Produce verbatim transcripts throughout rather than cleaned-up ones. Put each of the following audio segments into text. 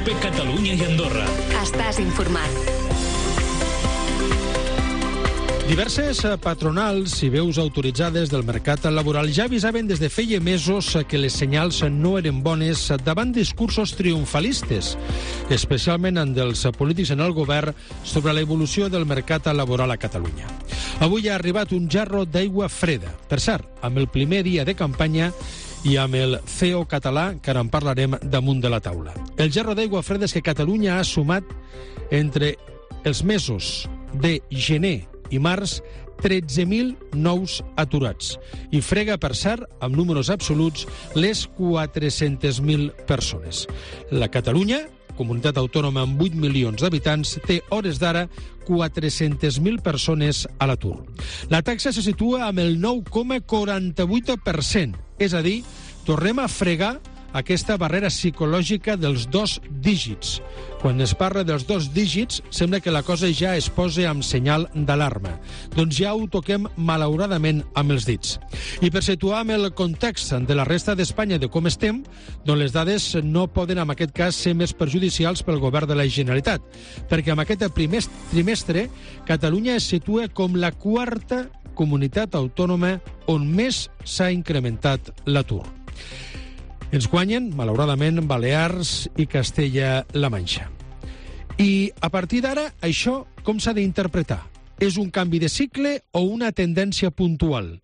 COPE Catalunya i Andorra. Estàs informat. Diverses patronals i veus autoritzades del mercat laboral ja avisaven des de feia mesos que les senyals no eren bones davant discursos triomfalistes, especialment en dels polítics en el govern, sobre l'evolució del mercat laboral a Catalunya. Avui ha arribat un jarro d'aigua freda, per cert, amb el primer dia de campanya i amb el C E O català, que ara en parlarem, damunt de la taula. El jarro d'aigua freda és que Catalunya ha sumat entre els mesos de gener i març tretze mil nous aturats i frega, per cert, amb números absoluts, les quatre-centes mil persones. La Catalunya, comunitat autònoma amb vuit milions d'habitants, té hores d'ara quatre-centes mil persones a l'atur. La taxa se situa amb el nou coma quaranta-vuit per cent, és a dir, tornem a fregar aquesta barrera psicològica dels dos dígits. Quan es parla dels dos dígits, sembla que la cosa ja es posa amb senyal d'alarma. Doncs ja ho toquem, malauradament, amb els dits. I per situar amb el context de la resta d'Espanya de com estem, doncs les dades no poden, en aquest cas, ser més perjudicials pel govern de la Generalitat, perquè en aquest primer trimestre Catalunya es situa com la quarta comunitat autònoma on més s'ha incrementat l'atur. Ens guanyen, malauradament, Balears i Castella-La Manxa. I a partir d'ara, això com s'ha d'interpretar? És un canvi de cicle o una tendència puntual?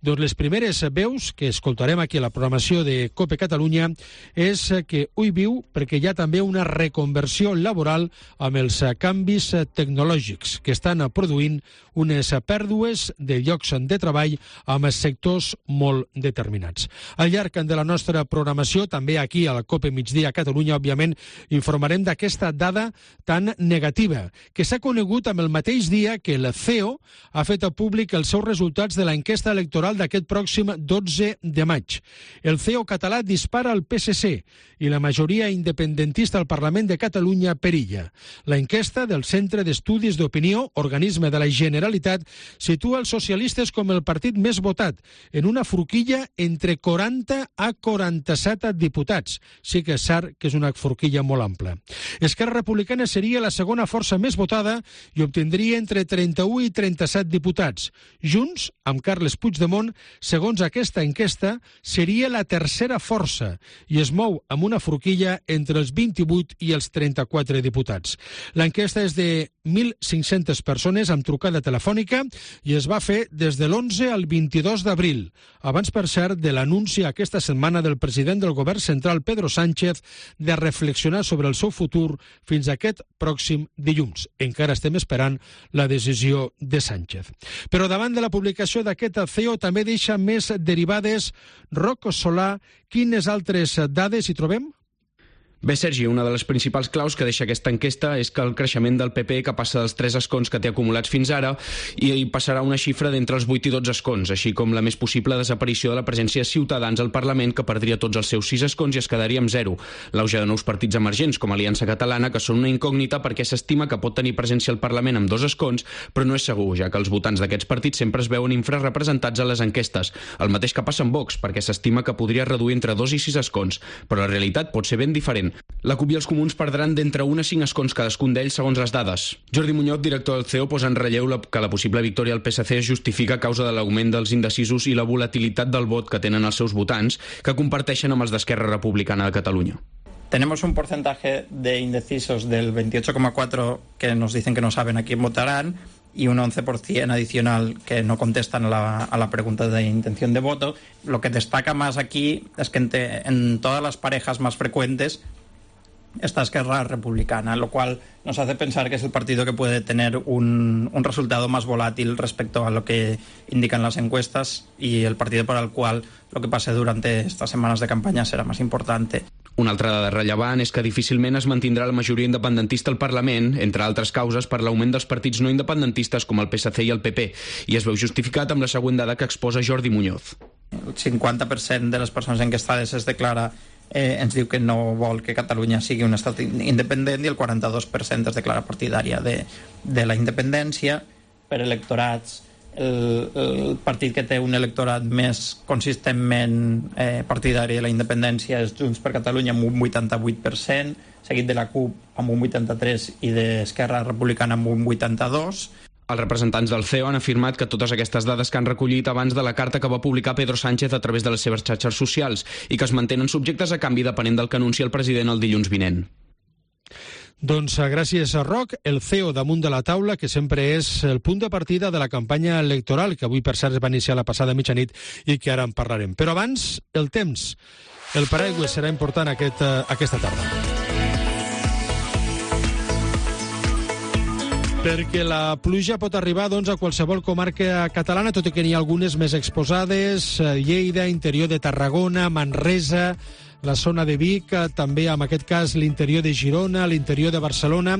Doncs les primeres veus que escoltarem aquí a la programació de COPE Catalunya és que ui viu perquè hi ha també una reconversió laboral amb els canvis tecnològics que estan produint unes pèrdues de llocs de treball amb sectors molt determinats. Al llarg de la nostra programació, també aquí a la COPE Migdia a Catalunya, òbviament, informarem d'aquesta dada tan negativa, que s'ha conegut amb el mateix dia que el C E O ha fet públic els seus resultats de l'enquesta electoral d'aquest pròxim dotze de maig. El C E O català dispara al P S C i la majoria independentista al Parlament de Catalunya perilla. La enquesta del Centre d'Estudis d'Opinió, organisme de la Generalitat, situa els socialistes com el partit més votat, en una forquilla entre quaranta a quaranta-set diputats. Sí que és cert que és una forquilla molt ampla. Esquerra Republicana seria la segona força més votada i obtindria entre trenta-u i trenta-set diputats. Junts, amb Carles Puigdemont, segons aquesta enquesta, seria la tercera força i es mou amb una forquilla entre els vint-i-vuit i els trenta-quatre diputats. L'enquesta és de mil cinc-centes persones amb trucada telefònica i es va fer des de l'onze al vint-i-dos d'abril, abans, per cert, de l'anunci aquesta setmana del president del govern central, Pedro Sánchez, de reflexionar sobre el seu futur fins a aquest pròxim dilluns. Encara estem esperant la decisió de Sánchez. Però davant de la publicació d'aquest C E O també deixa més derivades. Roc Solà, quines altres dades hi trobem? Bé, Sergi, una de les principals claus que deixa aquesta enquesta és que el creixement del P P, que passa dels tres escons que té acumulats fins ara, i passarà una xifra d'entre els vuit i dotze escons, així com la més possible desaparició de la presència de Ciutadans al Parlament, que perdria tots els seus sis escons i es quedaria amb zero. L'auge de nous partits emergents, com Aliança Catalana, que són una incògnita perquè s'estima que pot tenir presència al Parlament amb dos escons, però no és segur, ja que els votants d'aquests partits sempre es veuen infrarrepresentats a les enquestes. El mateix que passa amb Vox, perquè s'estima que podria reduir entre dos i sis escons, però la realitat pot ser ben diferent. La CUP i els comuns perdran d'entre un a cinc escons cadascun d'ells, segons les dades. Jordi Muñoz, director del C E O, posa en relleu la, que la possible victòria del P S C es justifica a causa de l'augment dels indecisos i la volatilitat del vot que tenen els seus votants, que comparteixen amb els d'Esquerra Republicana de Catalunya. Tenemos un porcentaje de indecisos del veintiocho coma cuatro que nos dicen que no saben a quién votarán y un once por ciento adicional que no contestan a la, a la pregunta de intención de voto. Lo que destaca más aquí es que en, te, en todas las parejas más frecuentes está Esquerra Republicana, lo cual nos hace pensar que es el partido que puede tener un, un resultado más volátil respecto a lo que indican las encuestas y el partido para el cual lo que pase durante estas semanas de campaña será más importante. Una altra dada rellevant és que difícilment es mantindrà la majoria independentista al Parlament, entre altres causes per l'augment dels partits no independentistes com el P S C i el P P, i es veu justificat amb la següent dada que exposa Jordi Muñoz. El cinquanta per cent de les persones enquestades es declara Eh, ens diu que no vol que Catalunya sigui un estat independent i el quaranta-dos per cent es declara partidària de, de la independència. Per electorats el, el partit que té un electorat més consistentment eh, partidari de la independència és Junts per Catalunya amb un vuitanta-vuit per cent, seguit de la CUP amb un vuitanta-tres per cent i d'Esquerra Republicana amb un vuitanta-dos per cent. Els representants del C E O han afirmat que totes aquestes dades que han recollit abans de la carta que va publicar Pedro Sánchez a través de les seves xarxes socials i que es mantenen subjectes a canvi depenent del que anuncia el president el dilluns vinent. Doncs gràcies a Roc, el C E O damunt de la taula, que sempre és el punt de partida de la campanya electoral, que avui per cert es va iniciar la passada mitjanit i que ara en parlarem. Però abans, el temps. El paraigua serà important aquest, aquesta tarda. Perquè la pluja pot arribar doncs, a qualsevol comarca catalana, tot i que n'hi ha algunes més exposades, Lleida, interior de Tarragona, Manresa, la zona de Vic, també en aquest cas l'interior de Girona, l'interior de Barcelona.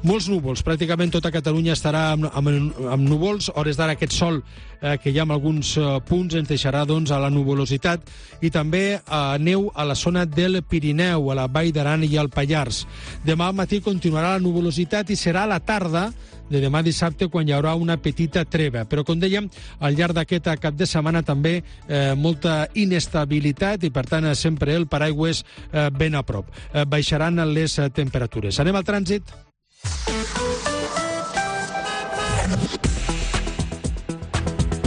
Molts núvols, pràcticament tota Catalunya estarà amb, amb, amb núvols. Hores d'ara aquest sol eh, que hi ha en alguns eh, punts ens deixarà doncs, a la nuvolositat, i també eh, neu a la zona del Pirineu, a la Vall d'Aran i al Pallars. Demà al matí continuarà la nuvolositat i serà a la tarda de demà dissabte quan hi haurà una petita treva. Però, com dèiem, al llarg d'aquest cap de setmana també eh, molta inestabilitat i, per tant, sempre el paraigües eh, ben a prop. Eh, baixaran les eh, temperatures. Anem al trànsit.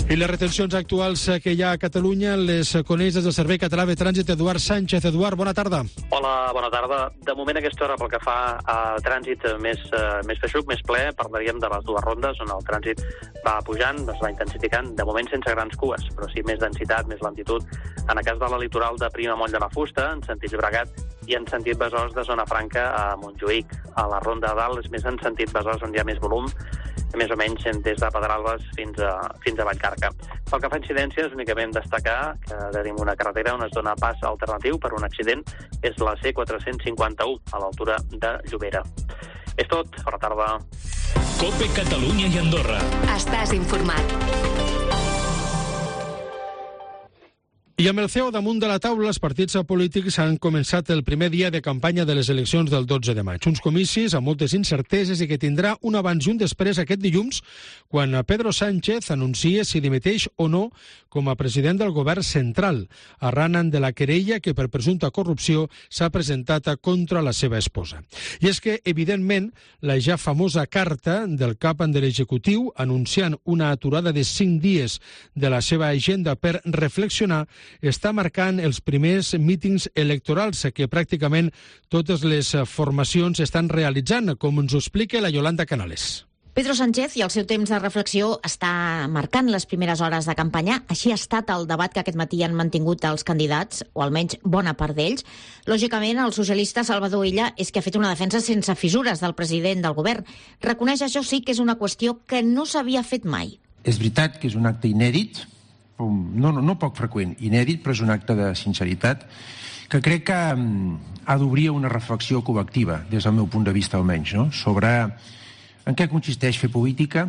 I les retencions actuals que hi ha a Catalunya les coneix des del Servei Català de Trànsit Eduard Sánchez. Eduard, bona tarda. Hola, bona tarda. De moment, aquesta hora, pel que fa a trànsit més, uh, més feixuc, més ple, parlaríem de les dues rondes, on el trànsit va pujant, es va intensificant, de moment sense grans cues, però sí més densitat, més lentitud. En el cas de la litoral de Prima Moll de la Fusta, en sentit Llobregat, i en sentit Besòs de Zona Franca a Montjuïc. A la ronda de dalt és més en sentit Besòs, on hi ha més volum, més o menys des de Pedralbes fins a, fins a Vallcarca. Pel que fa a incidències, únicament destacar que tenim una carretera on es dona pas alternatiu per un accident, és la C quatre-cents cinquanta-u, a l'altura de Llobera. És tot, bona tarda. COPE Catalunya i Andorra. Estàs informat. I amb el C E O damunt de la taula, els partits polítics han començat el primer dia de campanya de les eleccions del dotze de maig. Uns comicis amb moltes incerteses i que tindrà un abans i un després aquest dilluns, quan Pedro Sánchez anuncia si dimiteix o no com a president del govern central, arran de la querella que per presumpta corrupció s'ha presentat contra la seva esposa. I és que, evidentment, la ja famosa carta del cap de l'executiu anunciant una aturada de cinc dies de la seva agenda per reflexionar està marcant els primers mítings electorals que pràcticament totes les formacions estan realitzant, com ens ho explica la Yolanda Canales. Pedro Sánchez i el seu temps de reflexió està marcant les primeres hores de campanya. Així ha estat el debat que aquest matí han mantingut els candidats, o almenys bona part d'ells. Lògicament, el socialista Salvador Illa és que ha fet una defensa sense fissures del president del govern. Reconeix, això sí, que és una qüestió que no s'havia fet mai. És veritat que és un acte inèdit, no, no, no poc freqüent, inèdit, però és un acte de sinceritat que crec que ha d'obrir una reflexió col·lectiva, des del meu punt de vista almenys, no? Sobre en què consisteix fer política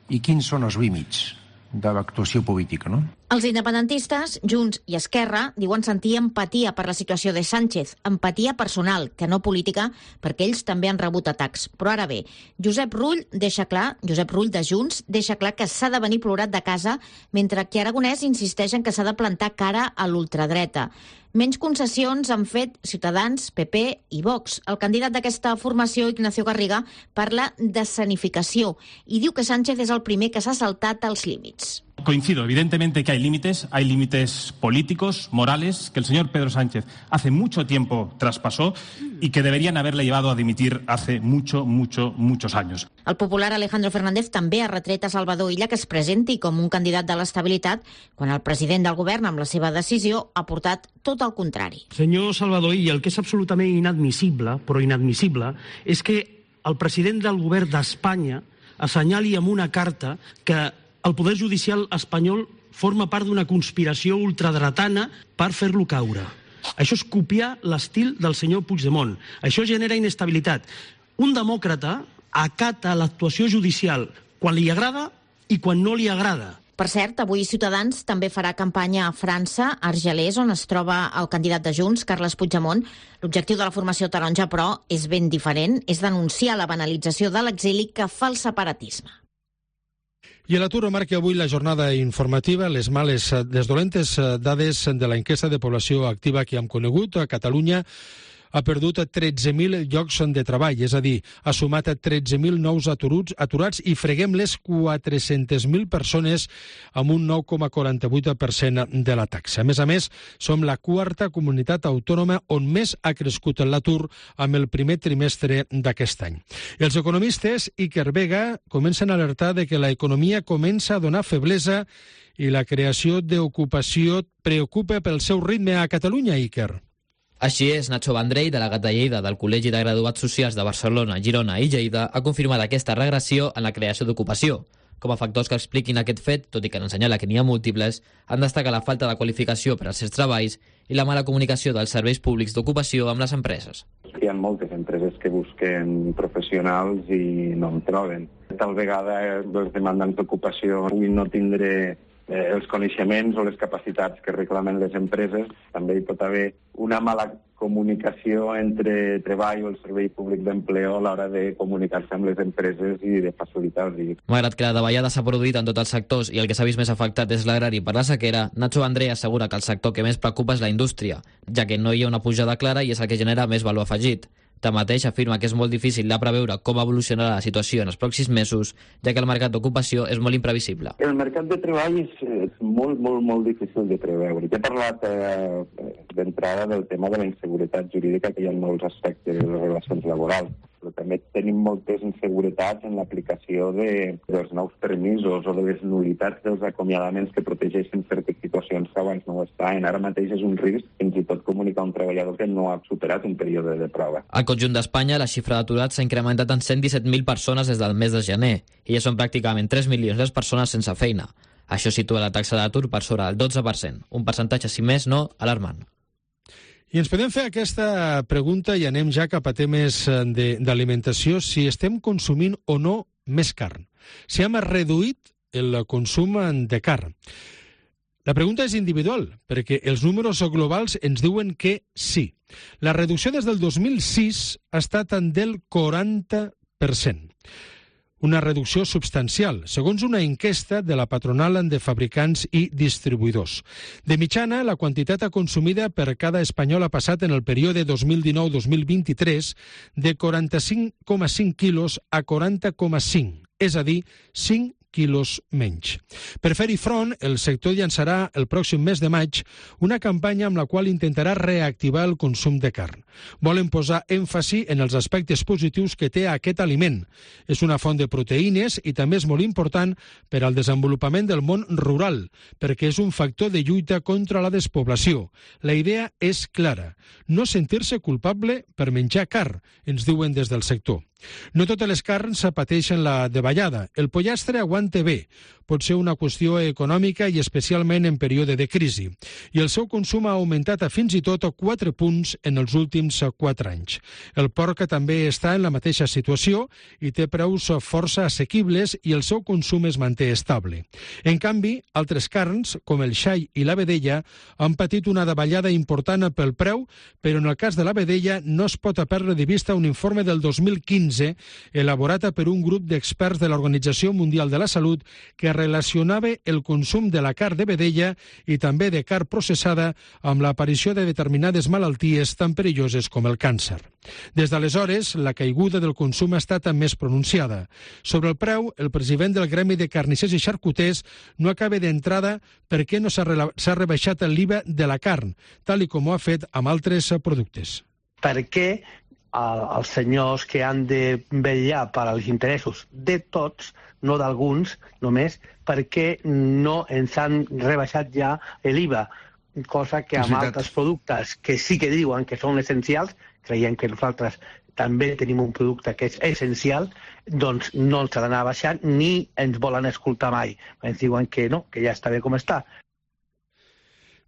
i quins són els límits de l'actuació política, no? Els independentistes, Junts i Esquerra, diuen sentir empatia per la situació de Sánchez, empatia personal, que no política, perquè ells també han rebut atacs. Però ara bé, Josep Rull deixa clar, Josep Rull de Junts, deixa clar que s'ha de venir plorat de casa, mentre que Aragonès insisteix en que s'ha de plantar cara a l'ultradreta. Menys concessions han fet Ciutadans, P P i Vox. El candidat d'aquesta formació, Ignacio Garriga, parla d'escenificació i diu que Sánchez és el primer que s'ha saltat els límits. Coincido, evidentemente, que hay límites, hay límites políticos, morales, que el señor Pedro Sánchez hace mucho tiempo traspasó y que deberían haberle llevado a dimitir hace mucho, mucho, muchos años. El popular Alejandro Fernández també ha retret a Salvador Illa que es presenti com un candidat de l'estabilitat quan el president del govern, amb la seva decisió, ha portat tot el contrari. Senyor Salvador Illa, el que és absolutament inadmissible, però inadmissible, és que el president del govern d'Espanya assenyali amb una carta que el poder judicial espanyol forma part d'una conspiració ultradretana per fer-lo caure. Això és copiar l'estil del senyor Puigdemont. Això genera inestabilitat. Un demòcrata acata l'actuació judicial quan li agrada i quan no li agrada. Per cert, avui Ciutadans també farà campanya a França, a Argelers, on es troba el candidat de Junts, Carles Puigdemont. L'objectiu de la formació taronja, però, és ben diferent. És denunciar la banalització de l'exili que fa el separatisme. I l'atur marca avui la jornada informativa, les males, les dolentes dades de la enquesta de població activa que hem conegut. A Catalunya ha perdut tretze mil llocs de treball, és a dir, ha sumat tretze mil nous aturats, aturats i freguem les quatre-centes mil persones amb un nou coma quaranta-vuit per cent de la taxa. A més a més, som la quarta comunitat autònoma on més ha crescut l'atur amb el primer trimestre d'aquest any. Els economistes Iker Vega comencen a alertar de que l'economia comença a donar feblesa i la creació d'ocupació preocupa pel seu ritme a Catalunya, Iker. Així és, Nacho Vendrell, delegat de Lleida del Col·legi de Graduats Socials de Barcelona, Girona i Lleida, ha confirmat aquesta regressió en la creació d'ocupació. Com a factors que expliquin aquest fet, tot i que n'assenyala que n'hi ha múltiples, han destacat la falta de qualificació per als certs treballs i la mala comunicació dels serveis públics d'ocupació amb les empreses. Hi ha moltes empreses que busquen professionals i no en troben. Tal vegada els demandants d'ocupació puguin no tindre eh, els coneixements o les capacitats que reclamen les empreses. També hi pot haver una mala comunicació entre treball o el servei públic d'empleo a l'hora de comunicar-se amb les empreses i de facilitar-los. Malgrat que la davallada s'ha produït en tots els sectors i el que s'ha vist més afectat és l'agrari per la sequera, Nacho Vendrell assegura que el sector que més preocupa és la indústria, ja que no hi ha una pujada clara i és el que genera més valor afegit. Tanmateix, afirma que és molt difícil de preveure com evolucionarà la situació en els pròxims mesos, ja que el mercat d'ocupació és molt imprevisible. El mercat de treball és, és molt, molt, molt difícil de preveure. He parlat eh, d'entrada del tema de la inseguretat jurídica, que hi ha molts aspectes de les relacions laborals, però també tenim moltes inseguretats en l'aplicació de, dels nous permisos o de les nulitats dels acomiadaments que protegeixen certes situacions que abans no ho estaven. Ara mateix és un risc fins i tot comunicar a un treballador que no ha superat un període de prova. Al conjunt d'Espanya, la xifra d'aturats s'ha incrementat en cent disset mil persones des del mes de gener i ja són pràcticament tres milions les persones sense feina. Això situa la taxa d'atur per sobre del dotze per cent, un percentatge, si més no, alarmant. I ens podem fer aquesta pregunta i anem ja cap a temes d'alimentació, si estem consumint o no més carn. Si hem reduït el consum de carn. La pregunta és individual, perquè els números globals ens diuen que sí. La reducció des del dos mil sis ha estat del quaranta per cent. Una reducció substancial, segons una enquesta de la patronal de fabricants i distribuïdors. De mitjana, la quantitat consumida per cada espanyol ha passat en el període dos mil dinou dos mil vint-i-tres de quaranta-cinc coma cinc quilos a quaranta coma cinc, és a dir, cinc quilos menys. Per fer-hi front, el sector llançarà el pròxim mes de maig una campanya amb la qual intentarà reactivar el consum de carn. Volen posar èmfasi en els aspectes positius que té aquest aliment. És una font de proteïnes i també és molt important per al desenvolupament del món rural, perquè és un factor de lluita contra la despoblació. La idea és clara, no sentir-se culpable per menjar carn, ens diuen des del sector. No totes les carns pateixen la davallada. El pollastre aguanta bé. Pot ser una qüestió econòmica i especialment en període de crisi. I el seu consum ha augmentat a fins i tot quatre punts en els últims quatre anys. El porc també està en la mateixa situació i té preus força assequibles i el seu consum es manté estable. En canvi, altres carns, com el xai i la vedella, han patit una davallada important pel preu, però en el cas de la vedella no es pot perdre de vista un informe del dos mil quinze elaborat per un grup d'experts de l'Organització Mundial de la Salut que relacionava el consum de la carn de vedella i també de carn processada amb l'aparició de determinades malalties tan perilloses com el càncer. Des d'aleshores, la caiguda del consum ha estat més pronunciada. Sobre el preu, el president del Gremi de Carnissers i Xarcuters no acaba d'entrada per què no s'ha rebaixat l'I V A de la carn, tal i com ho ha fet amb altres productes. Per què els senyors que han de vetllar per als interessos de tots, no d'alguns només, perquè no ens han rebaixat ja l'I V A, cosa que amb altres productes que sí que diuen que són essencials, creiem que nosaltres també tenim un producte que és essencial, doncs no ens ha d'anar baixant ni ens volen escoltar mai. Ens diuen que no, que ja està bé com està.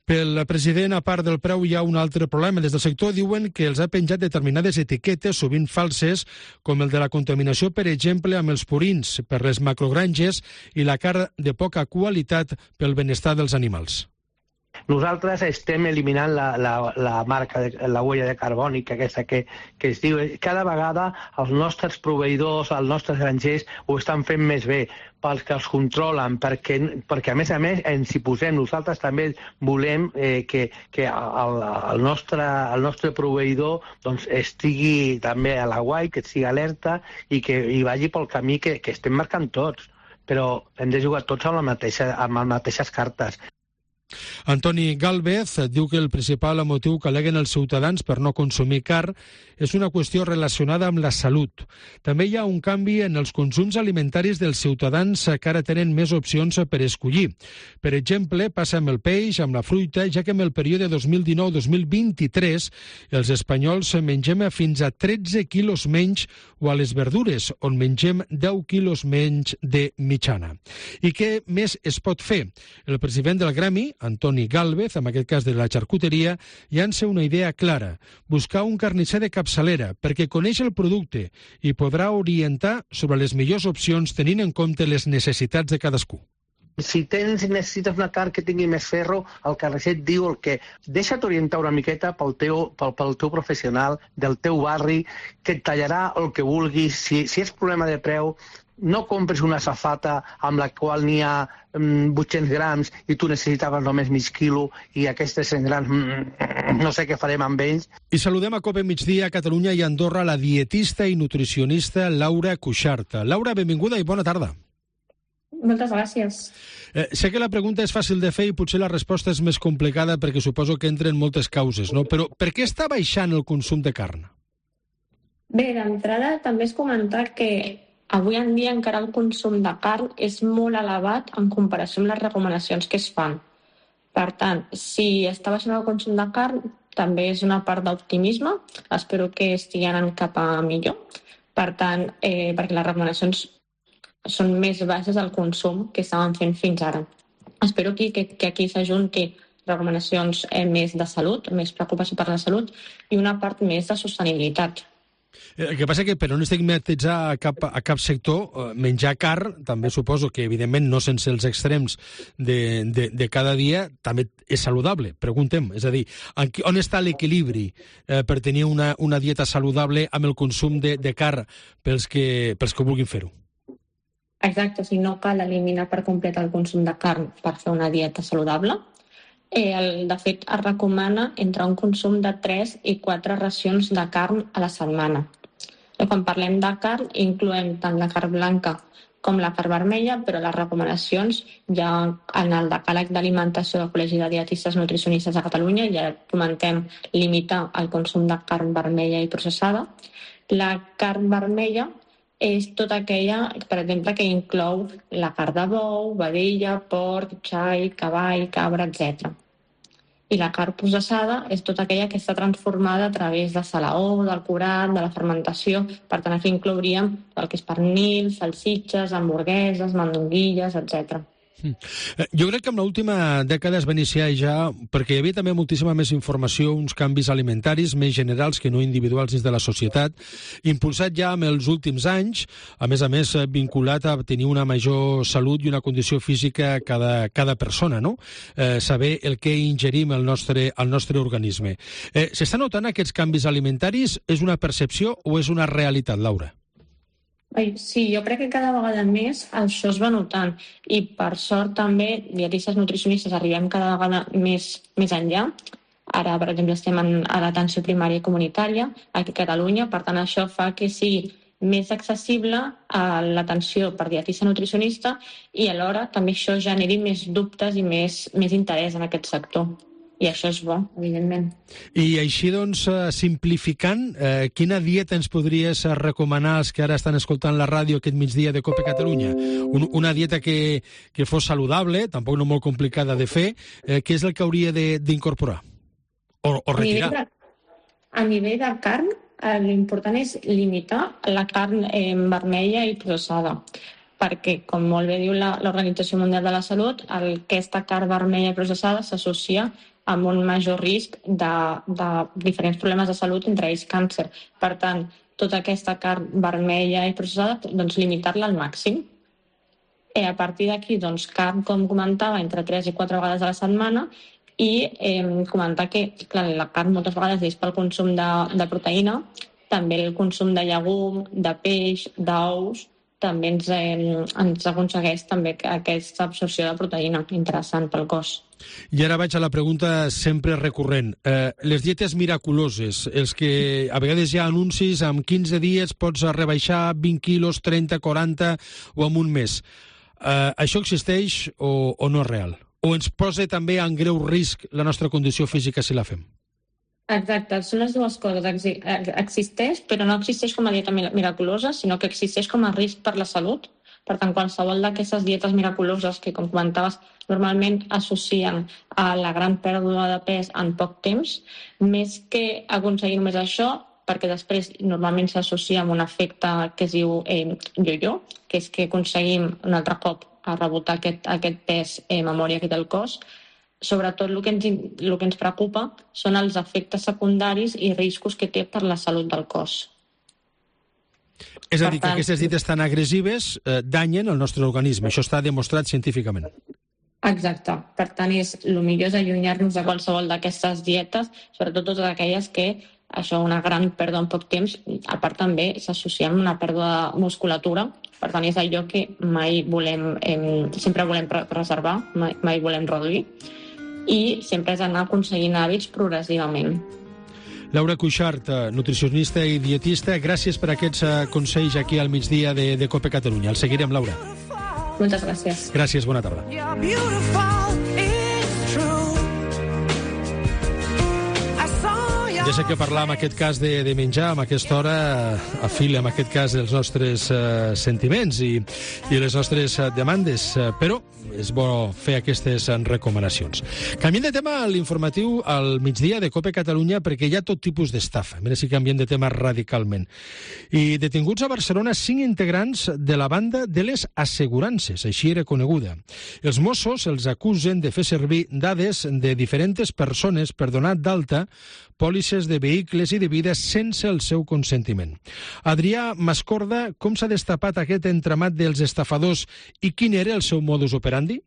Pel president, a part del preu, hi ha un altre problema. Des del sector diuen que els ha penjat determinades etiquetes, sovint falses, com el de la contaminació, per exemple, amb els purins, per les macrogranges i la carn de poca qualitat pel benestar dels animals. Nosaltres estem eliminant la, la, la marca, de, la huella de carbònica, aquesta que, que es diu. Cada vegada els nostres proveïdors, els nostres grangers ho estan fent més bé, pels que els controlen, perquè, perquè a més a més ens hi posem. Nosaltres també volem eh, que, que el, el, nostre, el nostre proveïdor doncs, estigui també a l'aguait, que estigui alerta i que hi vagi pel camí que, que estem marcant tots. Però hem de jugar tots amb, la mateixa, amb les mateixes cartes. Antoni Gálvez diu que el principal motiu que al·leguen els ciutadans per no consumir carn és una qüestió relacionada amb la salut. També hi ha un canvi en els consums alimentaris dels ciutadans que ara tenen més opcions per escollir. Per exemple, passa amb el peix, amb la fruita, ja que en el període dos mil dinou dos mil vint-i-tres els espanyols mengem fins a tretze quilos menys, o a les verdures, on mengem deu quilos menys de mitjana. I què més es pot fer? El president del Gremi, Antoni Gálvez, en aquest cas de la xarcuteria, llança una idea clara: buscar un carnisser de capçalera, perquè coneix el producte i podrà orientar sobre les millors opcions tenint en compte les necessitats de cadascú. Si tens, necessites una carn que tingui més ferro, el carnisser et diu el que... Deixa't orientar una miqueta pel teu, pel, pel teu professional, del teu barri, que et tallarà el que vulguis. Si, si és problema de preu, no compres una safata amb la qual n'hi ha mm, vuit-cents grams i tu necessitaves només mig quilo i aquestes cent grams mm, no sé què farem amb ells. I saludem a Cope Migdia, Catalunya i Andorra, la dietista i nutricionista Laura Cuixart. Laura, benvinguda i bona tarda. Moltes gràcies. Eh, sé que la pregunta és fàcil de fer i potser la resposta és més complicada perquè suposo que entren moltes causes, no? Però per què està baixant el consum de carn? Bé, d'entrada també és comentar que avui en dia encara el consum de carn és molt elevat en comparació amb les recomanacions que es fan. Per tant, si està baixant el consum de carn, també és una part d'optimisme. Espero que estigui anant cap a millor. Per tant, eh, perquè les recomanacions són més baixes al consum que estaven fent fins ara. Espero que, que, que aquí s'ajunti recomanacions eh, més de salut, més preocupació per la salut i una part més de sostenibilitat. El que passa que per no estigmatitzar a cap, a cap sector, menjar carn, també suposo que evidentment no sense els extrems de, de, de cada dia, també és saludable, preguntem. És a dir, on està l'equilibri eh, per tenir una, una dieta saludable amb el consum de, de carn pels que, pels que vulguin fer-ho? Exacte, si no cal eliminar per complet el consum de carn per fer una dieta saludable. Eh, el, de fet, es recomana entre un consum de tres i quatre racions de carn a la setmana. Eh, quan parlem de carn, incloem tant la carn blanca com la carn vermella, però les recomanacions ja en el decàleg d'alimentació del Col·legi de Dietistes Nutricionistes de Catalunya ja comentem limitar el consum de carn vermella i processada. La carn vermella és tota aquella, per exemple, que inclou la carn de bou, vedella, porc, xai, cavall, cabra, etcètera. I la carn processada és tota aquella que està transformada a través de salaó, del curat, de la fermentació. Per tant, aquí inclouríem el que és pernil, salsitxes, hamburgueses, mandonguilles, etcètera. Jo crec que en l'última dècada es va iniciar ja, perquè hi havia també moltíssima més informació, uns canvis alimentaris més generals que no individuals dins de la societat, impulsat ja en els últims anys, a més a més vinculat a tenir una major salut i una condició física cada, cada persona, no? Eh, saber el que ingerim al nostre, al nostre organisme. Eh, S'estan notant aquests canvis alimentaris? És una percepció o és una realitat, Laura? Sí, jo crec que cada vegada més això es va notant i per sort també dietistes nutricionistes arribem cada vegada més, més enllà. Ara, per exemple, estem en, a l'atenció primària i comunitària aquí a Catalunya, per tant això fa que sigui més accessible a l'atenció per dietista nutricionista i alhora també això generi més dubtes i més, més interès en aquest sector. I això és bo, evidentment. I així, doncs, simplificant, eh, quina dieta ens podries recomanar als que ara estan escoltant la ràdio aquest migdia de Cope Catalunya? Un, una dieta que, que fos saludable, tampoc no molt complicada de fer, eh, què és el que hauria d'incorporar? O, o retirar? A nivell de, a nivell de carn, eh, l'important és limitar la carn eh, vermella i processada, perquè, com molt bé diu l'Organització Mundial de la Salut, el, aquesta carn vermella i processada s'associa amb un major risc de, de diferents problemes de salut, entre ells càncer. Per tant, tota aquesta carn vermella i processada, doncs limitar-la al màxim. I a partir d'aquí, doncs, carn, com comentava, entre tres i quatre vegades a la setmana I eh, comentar que clar, la carn moltes vegades és pel consum de, de proteïna, també el consum de llegum, de peix, d'ous, també ens, eh, ens aconsegueix també aquesta absorció de proteïna interessant pel cos. I ara vaig a la pregunta sempre recurrent. Eh, les dietes miraculoses, els que a vegades hi ha anuncis, amb quinze dies pots rebaixar vint quilos, trenta, quaranta o en un mes. Eh, això existeix o, o no és real? O ens posa també en greu risc la nostra condició física si la fem? Exacte, són les dues coses. Existeix, però no existeix com a dieta miraculosa, sinó que existeix com a risc per la salut. Per tant, qualsevol d'aquestes dietes miraculoses que, com comentaves, normalment associen a la gran pèrdua de pes en poc temps, més que aconseguir només això, perquè després normalment s'associa amb un efecte que es diu eh, yo-yo, que és que aconseguim un altre cop a rebotar aquest, aquest pes eh, memòria que té el cos. Sobretot el que, ens, el que ens preocupa són els efectes secundaris i riscos que té per la salut del cos. És a dir, que aquestes dietes tan agressives eh, danyen el nostre organisme. Això està demostrat científicament. Exacte. Per tant, és, el millor és allunyar-nos de qualsevol d'aquestes dietes, sobretot totes aquelles que això, una gran pèrdua en poc temps, a part també s'associa amb una pèrdua de musculatura. Per tant, és allò que mai volem, eh, sempre volem preservar, mai, mai volem reduir, i sempre és anar aconseguint hàbits progressivament. Laura Cuixart, nutricionista i dietista, gràcies per aquests consells aquí al migdia de, de COPE Catalunya. El seguirem, Laura. Moltes gràcies. Gràcies, bona tarda. Ja sé que parlar en aquest cas de, de menjar, en aquesta hora, afila en aquest cas els nostres uh, sentiments i, i les nostres uh, demandes, uh, però és bo fer aquestes uh, recomanacions. Canviem de tema a l'informatiu al migdia de COPE Catalunya perquè hi ha tot tipus d'estafa. Mira si canviem de tema radicalment. I detinguts a Barcelona cinc integrants de la banda de les assegurances, així era coneguda. Els Mossos els acusen de fer servir dades de diferents persones per donar d'alta pòlisses de vehicles i de vida sense el seu consentiment. Adrià Mascorda, com s'ha destapat aquest entramat dels estafadors i quin era el seu modus operandi?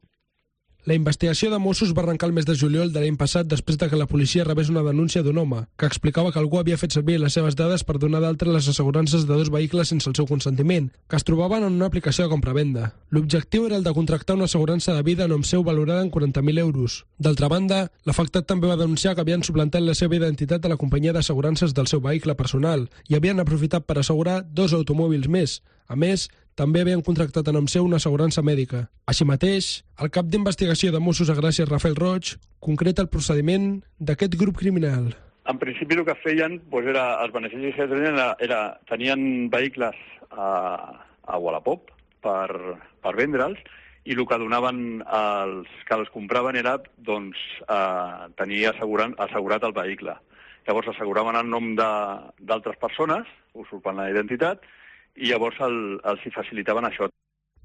La investigació de Mossos va arrencar el mes de juliol de l'any passat després de que la policia rebés una denúncia d'un home que explicava que algú havia fet servir les seves dades per donar d'altre les assegurances de dos vehicles sense el seu consentiment, que es trobaven en una aplicació de compra-venda. L'objectiu era el de contractar una assegurança de vida a nom seu valorada en quaranta mil euros. D'altra banda, l'afectat també va denunciar que havien suplantat la seva identitat a la companyia d'assegurances del seu vehicle personal i havien aprofitat per assegurar dos automòbils més. A més, també havien contractat a nom seu una assegurança mèdica. Així mateix, el cap d'investigació de Mossos a Gràcia, Rafael Roig, concreta el procediment d'aquest grup criminal. En principi el que feien doncs, era, els beneficis que tenien era, era tenien vehicles a, a Wallapop per, per vendre'ls i el que donaven als que els compraven era doncs, eh, tenir assegurat, assegurat el vehicle. Llavors asseguraven en nom d'altres persones, usurpant la identitat, i llavors el, els hi facilitaven això.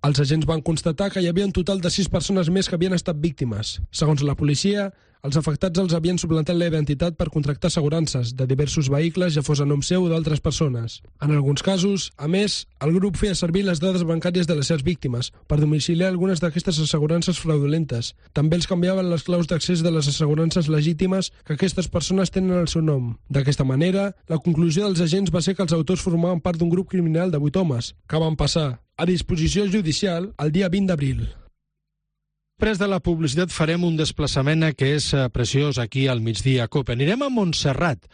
Els agents van constatar que hi havia un total de sis persones més que havien estat víctimes. Segons la policia, els afectats els havien suplantat la identitat per contractar assegurances de diversos vehicles, ja fos a nom seu o d'altres persones. En alguns casos, a més, el grup feia servir les dades bancàries de les seves víctimes per domiciliar algunes d'aquestes assegurances fraudulentes. També els canviaven les claus d'accés de les assegurances legítimes que aquestes persones tenen al seu nom. D'aquesta manera, la conclusió dels agents va ser que els autors formaven part d'un grup criminal de vuit homes, que van passar a disposició judicial el dia vint d'abril. Després de la publicitat farem un desplaçament que és preciós aquí al migdia COPE. Anirem a Montserrat,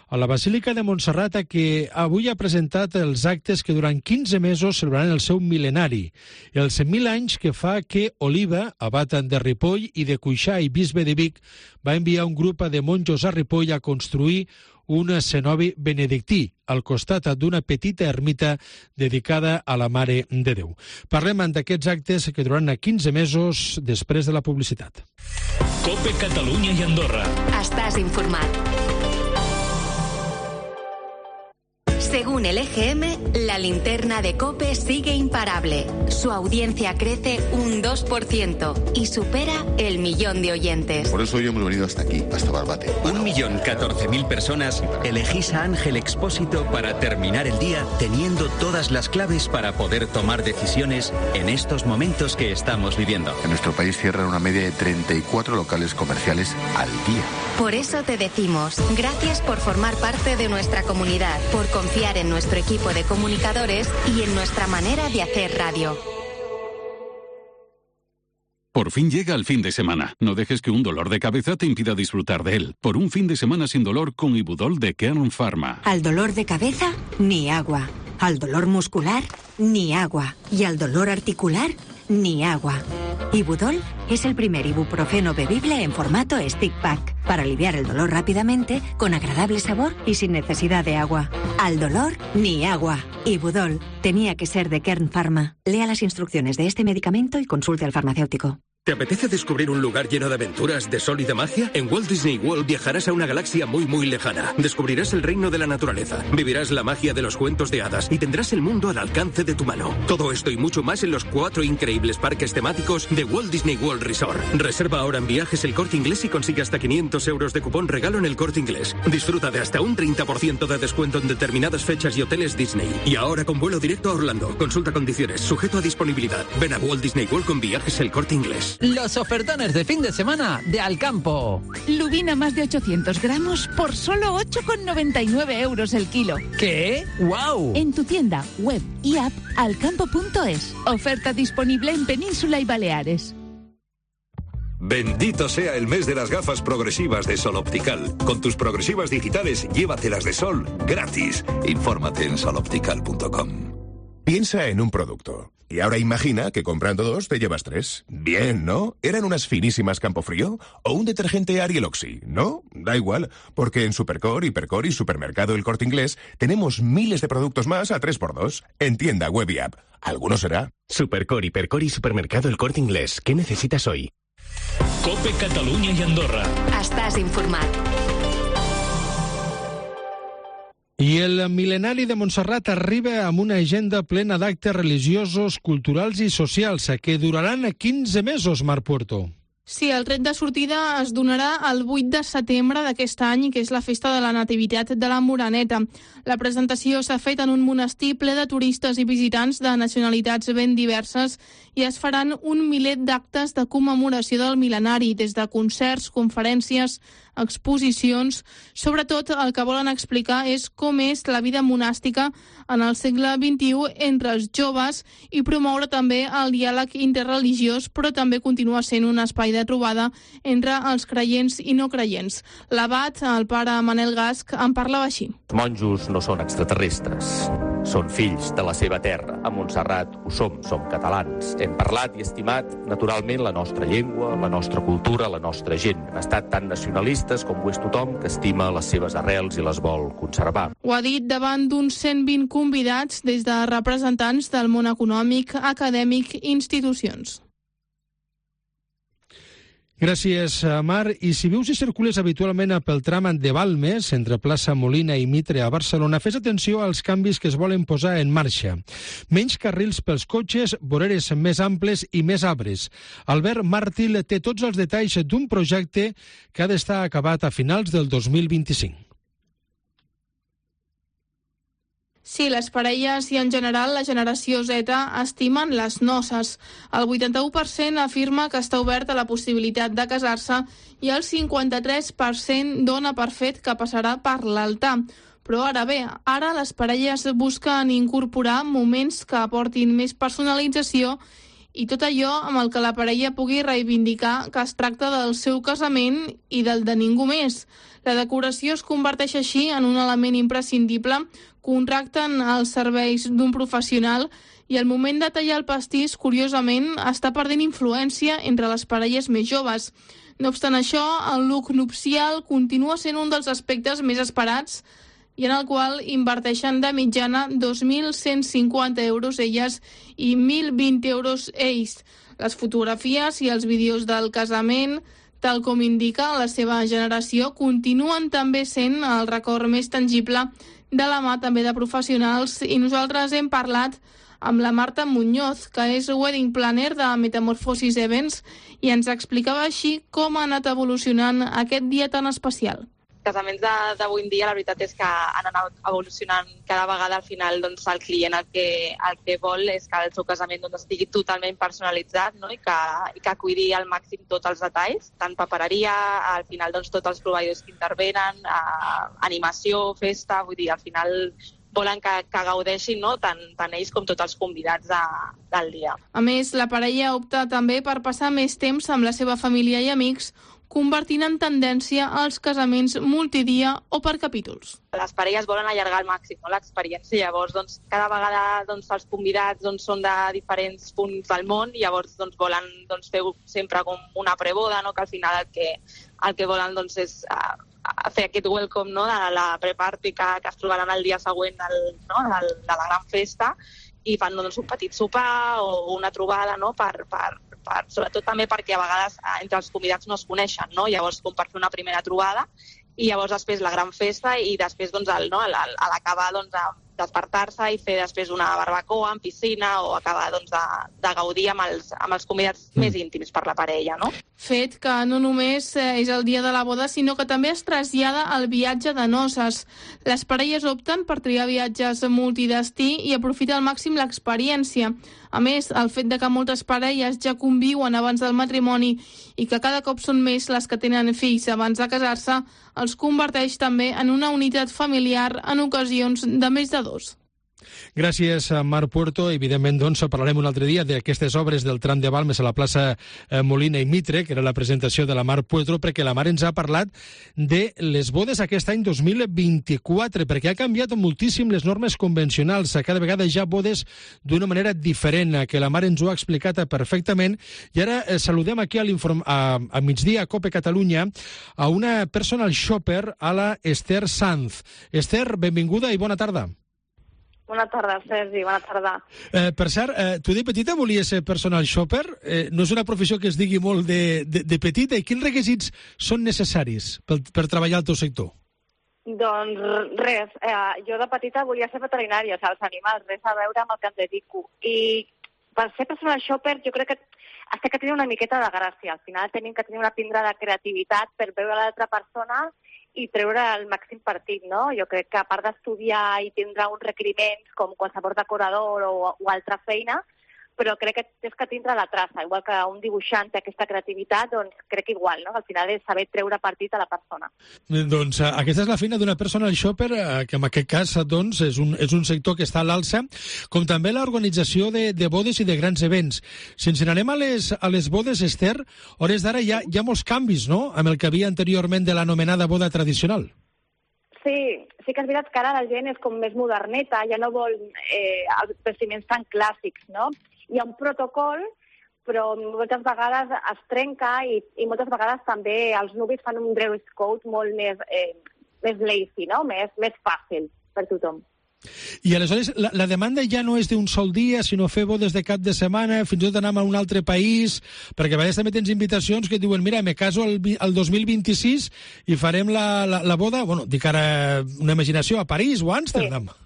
a la Basílica de Montserrat, que avui ha presentat els actes que durant quinze mesos celebraran el seu mil·lenari. Els mil anys que fa que Oliva, abat de Ripoll, i de Cuixà i bisbe de Vic, va enviar un grup de monjos a Ripoll a construir un cenobi benedictí al costat d'una petita ermita dedicada a la Mare de Déu. Parlem d'aquests actes que duraran quinze mesos després de la publicitat. COPE Catalunya i Andorra. Estàs informat. Según el E G M, la linterna de COPE sigue imparable. Su audiencia crece un dos por ciento y supera el millón de oyentes. Por eso hoy hemos venido hasta aquí, hasta Barbate. Un millón catorce mil personas elegís a Ángel Expósito para terminar el día teniendo todas las claves para poder tomar decisiones en estos momentos que estamos viviendo. En nuestro país cierran una media de treinta y cuatro locales comerciales al día. Por eso te decimos, gracias por formar parte de nuestra comunidad, por confiar en nuestro equipo de comunicadores y en nuestra manera de hacer radio. Por fin llega el fin de semana. No dejes que un dolor de cabeza te impida disfrutar de él. Por un fin de semana sin dolor con Ibudol de Kern Pharma. Al dolor de cabeza, ni agua. Al dolor muscular, ni agua. Y al dolor articular, ni agua. Ibudol es el primer ibuprofeno bebible en formato stick pack para aliviar el dolor rápidamente, con agradable sabor y sin necesidad de agua. Al dolor, ni agua. Ibudol tenía que ser de Kern Pharma. Lea las instrucciones de este medicamento y consulte al farmacéutico. ¿Te apetece descubrir un lugar lleno de aventuras, de sol y de magia? En Walt Disney World viajarás a una galaxia muy muy lejana. Descubrirás el reino de la naturaleza, vivirás la magia de los cuentos de hadas y tendrás el mundo al alcance de tu mano. Todo esto y mucho más en los cuatro increíbles parques temáticos de Walt Disney World Resort. Reserva ahora en Viajes El Corte Inglés y consigue hasta quinientos euros de cupón regalo en El Corte Inglés. Disfruta de hasta un treinta por ciento de descuento en determinadas fechas y hoteles Disney. Y ahora con vuelo directo a Orlando. Consulta condiciones, sujeto a disponibilidad. Ven a Walt Disney World con Viajes El Corte Inglés. Los ofertones de fin de semana de Alcampo. Lubina más de ochocientos gramos por solo ocho con noventa y nueve euros el kilo. ¿Qué? ¡Wow! En tu tienda, web y app alcampo punto es. Oferta disponible en Península y Baleares. Bendito sea el mes de las gafas progresivas de Sol Optical. Con tus progresivas digitales, llévatelas de sol gratis. Infórmate en sol optical punto com. Piensa en un producto. Y ahora imagina que comprando dos te llevas tres. Bien, ¿no? ¿Eran unas finísimas Campofrío? ¿O un detergente Ariel Oxy? ¿No? Da igual, porque en Supercore, Hipercore y Supermercado El Corte Inglés tenemos miles de productos más a tres por dos. En tienda, web y app. ¿Alguno será? Supercore, Hipercore y Supermercado El Corte Inglés. ¿Qué necesitas hoy? Cope Catalunya i Andorra. Estàs informat. I el mil·lenari de Montserrat arriba amb una agenda plena d'actes religiosos, culturals i socials que duraran quinze mesos, Marc Puerto. Sí, el tret de sortida es donarà el vuit de setembre d'aquest any, que és la festa de la Nativitat de la Moreneta. La presentació s'ha fet en un monestir ple de turistes i visitants de nacionalitats ben diverses i es faran un miler d'actes de commemoració del mil·lenari, des de concerts, conferències, exposicions. Sobretot el que volen explicar és com és la vida monàstica en el segle vint-i-u entre els joves i promoure també el diàleg interreligiós, però també continua sent un espai de trobada entre els creients i no creients. L'abat, el pare Manel Gasch, en parlava així. Els monjos no són extraterrestres, són fills de la seva terra. A Montserrat ho som, som catalans. Hem parlat i estimat, naturalment, la nostra llengua, la nostra cultura, la nostra gent. Hem estat tan nacionalistes com ho és tothom que estima les seves arrels i les vol conservar. Ho ha dit davant d'uns cent vint convidats des de representants del món econòmic, acadèmic i institucions. Gràcies, Mar. I si vius i circules habitualment pel tram de Balmes, entre plaça Molina i Mitre a Barcelona, fes atenció als canvis que es volen posar en marxa. Menys carrils pels cotxes, voreres més amples i més arbres. Albert Màrtir té tots els detalls d'un projecte que ha d'estar acabat a finals del dos mil vint-i-cinc. Sí, les parelles i en general la generació Z estimen les noces. El vuitanta-u per cent afirma que està obert a la possibilitat de casar-se i el cinquanta-tres per cent dona per fet que passarà per l'altar. Però ara bé, ara les parelles busquen incorporar moments que aportin més personalització i tot allò amb el que la parella pugui reivindicar que es tracta del seu casament i del de ningú més. La decoració es converteix així en un element imprescindible, contracten els serveis d'un professional i el moment de tallar el pastís, curiosament, està perdent influència entre les parelles més joves. No obstant això, el look nupcial continua sent un dels aspectes més esperats i en el qual inverteixen de mitjana dos mil cent cinquanta euros elles i mil vint euros ells. Les fotografies i els vídeos del casament, tal com indica la seva generació, continuen també sent el record més tangible de la mà també de professionals, i nosaltres hem parlat amb la Marta Muñoz, que és wedding planner de Metamorphosis Events, i ens explicava així com ha anat evolucionant aquest dia tan especial. Casaments d'avui en dia, la veritat és que han anat evolucionant cada vegada. Al final, doncs, el client el que, el que vol és que el seu casament doncs, estigui totalment personalitzat, no? I, que, i que cuidi al màxim tots els detalls, tant papereria, al final doncs, tots els proveïdors que intervenen, eh, animació, festa, vull dir, al final volen que, que gaudeixin, no? tant, tant ells com tots els convidats de, del dia. A més, la parella opta també per passar més temps amb la seva família i amics, convertint en tendència els casaments multidia o per capítols. Les parelles volen allargar al màxim, no? L'experiència. Llavors, doncs, cada vegada doncs, els convidats doncs, són de diferents punts del món i llavors doncs, volen doncs, fer sempre com una preboda, no? Que al final el que, el que volen doncs, és uh, fer aquest welcome, no? De la pre-party que, que es trobaran el dia següent del, no? del, de la gran festa, i fan doncs, un petit sopar o una trobada, no? per, per, per, sobretot també perquè a vegades entre els convidats no es coneixen, no? Llavors com per fer una primera trobada i llavors després la gran festa i després doncs, el, no? a l'acabar doncs, despertar-se i fer després una barbacoa en piscina o acabar doncs, de, de gaudir amb els, amb els convidats mm. més íntims per la parella, no? Fet que no només és el dia de la boda, sinó que també es trasllada al viatge de noces. Les parelles opten per triar viatges multidestí i aprofitar al màxim l'experiència. A més, el fet de que moltes parelles ja conviuen abans del matrimoni i que cada cop són més les que tenen fills abans de casar-se, els converteix també en una unitat familiar en ocasions de més de dos. Gràcies a Mar Puerto. Evidentment, doncs, parlarem un altre dia d'aquestes obres del tram de Balmes a la plaça Molina i Mitre, que era la presentació de la Mar Puerto, perquè la Mar ens ha parlat de les bodes aquest any dos mil vint-i-quatre, perquè ha canviat moltíssim les normes convencionals. Cada vegada hi ha bodes d'una manera diferent, que la Mar ens ho ha explicat perfectament. I ara eh, saludem aquí a, a, a migdia a COPE Catalunya a una personal shopper, a la Esther Sanz. Esther, benvinguda i bona tarda. Bona tarda, Sergi, bona tarda. Eh, per cert, eh, tu de petita volies ser personal shopper? Eh, no és una professió que es digui molt de, de, de petita. I quins requisits són necessaris per, per treballar al teu sector? Doncs res, eh, jo de petita volia ser veterinària, els animals, res a veure amb el que em dedico. I per ser personal shopper jo crec que has de tenir una miqueta de gràcia. Al final tenim que tenir una pindra de creativitat per veure l'altra persona i treure el màxim partit, no? Jo crec que a part d'estudiar i tindre uns requeriments com qualsevol decorador o, o altra feina, però crec que és que tindre la traça. Igual que un dibuixant té aquesta creativitat, doncs crec que igual, no? Al final és saber treure partit a la persona. Doncs uh, aquesta és la feina d'una personal shopper, uh, que en aquest cas doncs, és, un, és un sector que està a l'alça, com també l'organització de, de bodes i de grans events. Si ens n'anem a les, a les bodes, Esther, hores d'ara hi, hi ha molts canvis, no?, amb el que havia anteriorment de l'anomenada boda tradicional. Sí, sí que és veritat que ara la gent és com més moderneta, ja no vol eh, els vestiments tan clàssics, no? Hi ha un protocol, però moltes vegades es trenca i, i moltes vegades també els nuvis fan un dress code molt més, eh, més lazy, no? Més, més fàcil per tothom. I aleshores la, la demanda ja no és d'un sol dia, sinó fer bodes de cap de setmana, fins i tot anar a un altre país, perquè a vegades també tens invitacions que et diuen, mira, me caso el, el dos mil vint-i-sis i farem la, la, la boda, bueno, dic ara una imaginació, a París o a Amsterdam. Sí.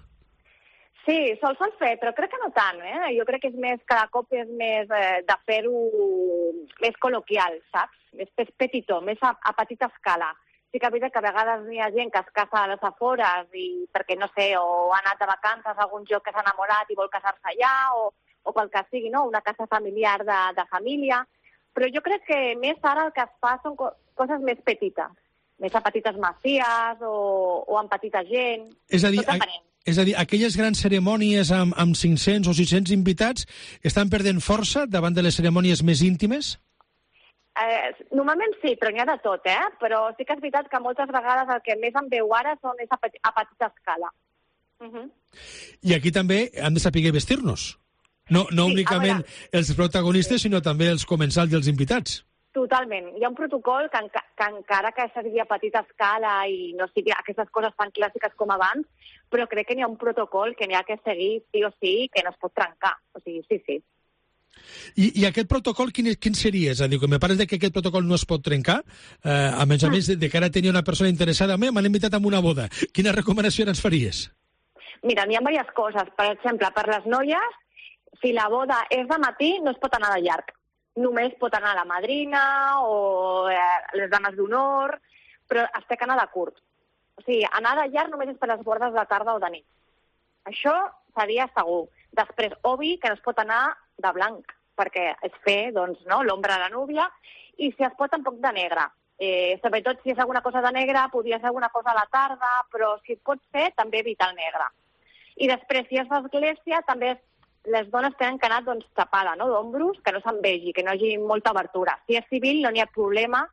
Sí, sols s'han fet, però crec que no tant, eh? Jo crec que és més, cada cop és més eh, de fer-ho més col·loquial, saps? Més petitó, més a, a petita escala. Sí que és veritat que a vegades hi ha gent que es casa a les afores i perquè, no sé, o ha anat de vacances a algun lloc que s'ha enamorat i vol casar-se allà, o, o qual que sigui, no? Una casa familiar de, de família. Però jo crec que més ara el que es fa són co coses més petites, més a petites masies o, o amb petita gent. És a dir, És a dir, aquelles grans cerimònies amb, amb cinc-cents o sis-cents invitats estan perdent força davant de les cerimònies més íntimes? Eh, normalment sí, però n'hi ha de tot, eh? Però sí que és veritat que moltes vegades el que més em veu ara són és a, a petita escala. Uh -huh. I aquí també hem de saber vestir-nos. No, no sí, únicament els protagonistes, sinó també els comensals i els invitats. Totalment. Hi ha un protocol que, enca que encara que sigui a petita escala i no sigui aquestes coses tan clàssiques com abans, però crec que n'hi ha un protocol que n'hi ha que seguir sí o sí, que no es pot trencar. O sigui, sí, sí. I, i aquest protocol, quin, quin seria? És a dir, que me pareix que aquest protocol no es pot trencar, eh, a més a més de, de que ara tenia una persona interessada, m'han invitat a una boda. Quina recomanació ens faries? Mira, n'hi ha diverses coses. Per exemple, per les noies, si la boda és de matí, no es pot anar de llarg. Només pot anar la madrina o eh, les dames d'honor, però es té que anar de curt. O sigui, anar de llarg només és per les bordes de tarda o de nit. Això seria segur. Després, obvi que no es pot anar de blanc, perquè és fer doncs, no, l'ombra de la núvia, i si es pot tampoc de negre. Eh, sobretot si és alguna cosa de negre, podria ser alguna cosa a la tarda, però si es pot fer, també evita el negre. I després, si és d'església, també les dones tenen que anar doncs, tapada, no?, d'ombros, que no se'n vegi, que no hi hagi molta obertura. Si és civil, no n'hi ha problema.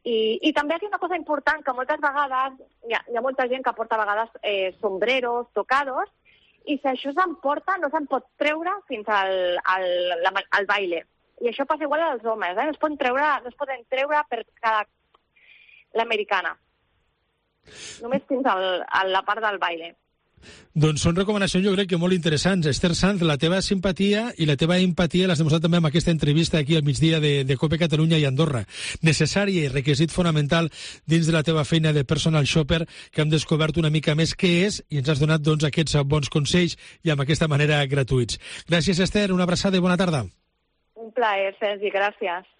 I, i també aquí una cosa important, que moltes vegades, hi ha, hi ha molta gent que porta a vegades eh, sombreros, tocados, i si això s'emporta no se'n pot treure fins al, al, al baile. I això passa igual als homes, eh? no, es poden treure, no es poden treure per cada... l'americana. Només fins al, a la part del baile. Doncs són recomanacions, jo crec que molt interessants. Esther Sanz, la teva simpatia i la teva empatia l'has demostrat també amb aquesta entrevista aquí al migdia de, de COPE Catalunya i Andorra. Necessària i requisit fonamental dins de la teva feina de personal shopper, que hem descobert una mica més què és i ens has donat doncs, aquests bons consells i amb aquesta manera gratuïts. Gràcies, Esther, una abraçada i bona tarda. Un plaer, Sergi, gràcies.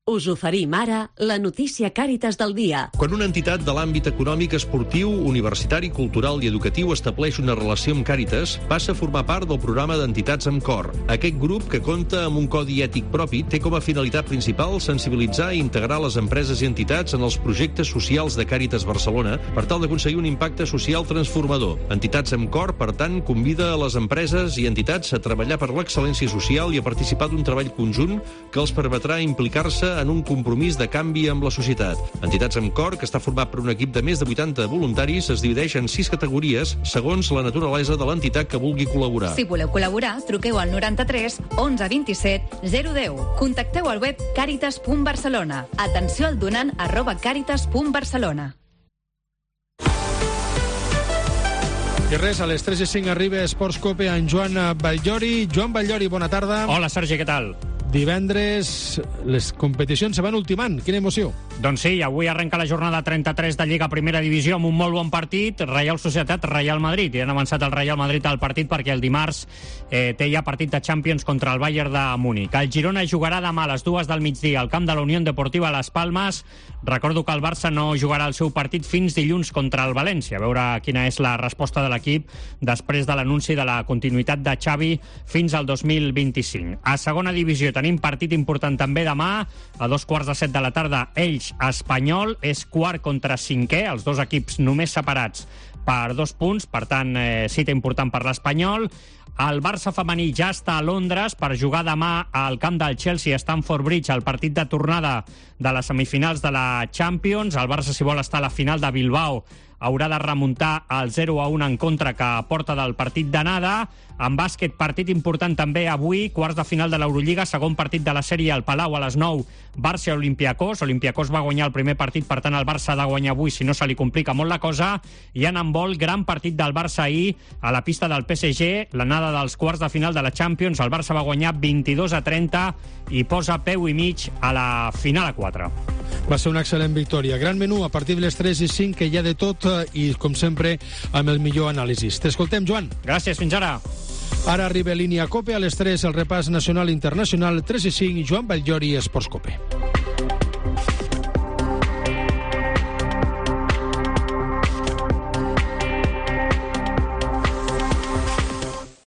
Us oferim ara la notícia Càritas del dia. Quan una entitat de l'àmbit econòmic, esportiu, universitari, cultural i educatiu estableix una relació amb Càritas, passa a formar part del programa d'entitats amb cor. Aquest grup, que compta amb un codi ètic propi, té com a finalitat principal sensibilitzar i integrar les empreses i entitats en els projectes socials de Càritas Barcelona per tal d'aconseguir un impacte social transformador. Entitats amb cor, per tant, convida a les empreses i entitats a treballar per l'excel·lència social i a participar d'un treball conjunt que els permetrà implicar-se en un compromís de canvi amb la societat. Entitats amb cor, que està format per un equip de més de vuitanta voluntaris, es divideix en sis categories segons la naturalesa de l'entitat que vulgui col·laborar. Si voleu col·laborar, truqueu al noranta-tres onze vint-i-set zero deu. Contacteu al web caritas punt barcelona. Atenció al donant arroba caritas punt barcelona. I res, a les tres i cinc arriba Esports Cope en Joan Batllori. Joan Batllori, bona tarda. Hola, Sergi, què tal? Divendres les competicions se van ultimant. Quina emoció. Doncs sí, avui arrenca la jornada trenta-tres de Lliga Primera Divisió amb un molt bon partit, Reial Societat, Real Madrid. I han avançat el Real Madrid al partit perquè el dimarts eh, té ja partit de Champions contra el Bayern de Múnich. El Girona jugarà demà a les dues del migdia al camp de la Unió Deportiva Las Palmes. Recordo que el Barça no jugarà el seu partit fins dilluns contra el València. A veure quina és la resposta de l'equip després de l'anunci de la continuïtat de Xavi fins al dos mil vint-i-cinc. A segona divisió tenim partit important també demà, a dos quarts de set de la tarda, Elx Espanyol, és quart contra cinquè, els dos equips només separats per dos punts, per tant, eh, cita important per l'Espanyol. El Barça femení ja està a Londres per jugar demà al camp del Chelsea a Stamford Bridge, el partit de tornada de les semifinals de la Champions. El Barça, si vol estar a la final de Bilbao, haurà de remuntar el zero a un en contra que porta del partit d'anada. En bàsquet, partit important també avui, quarts de final de l'Eurolliga, segon partit de la sèrie al Palau a les nou, Barça Olympiacos. Olympiacos va guanyar el primer partit, per tant el Barça ha de guanyar avui, si no se li complica molt la cosa. I en handbol, gran partit del Barça ahir a la pista del P S G, l'anada dels quarts de final de la Champions. El Barça va guanyar vint-i-dos a trenta i posa peu i mig a la final a quatre. Va ser una excel·lent victòria. Gran menú a partir de les tres i cinc, que hi ha de tot i, com sempre, amb el millor anàlisi. T'escoltem, Joan. Gràcies, fins ara. Ara arriba Línia Cope, a les tres el repàs nacional i internacional, tres i cinc, Joan Batllori, Esports Cope.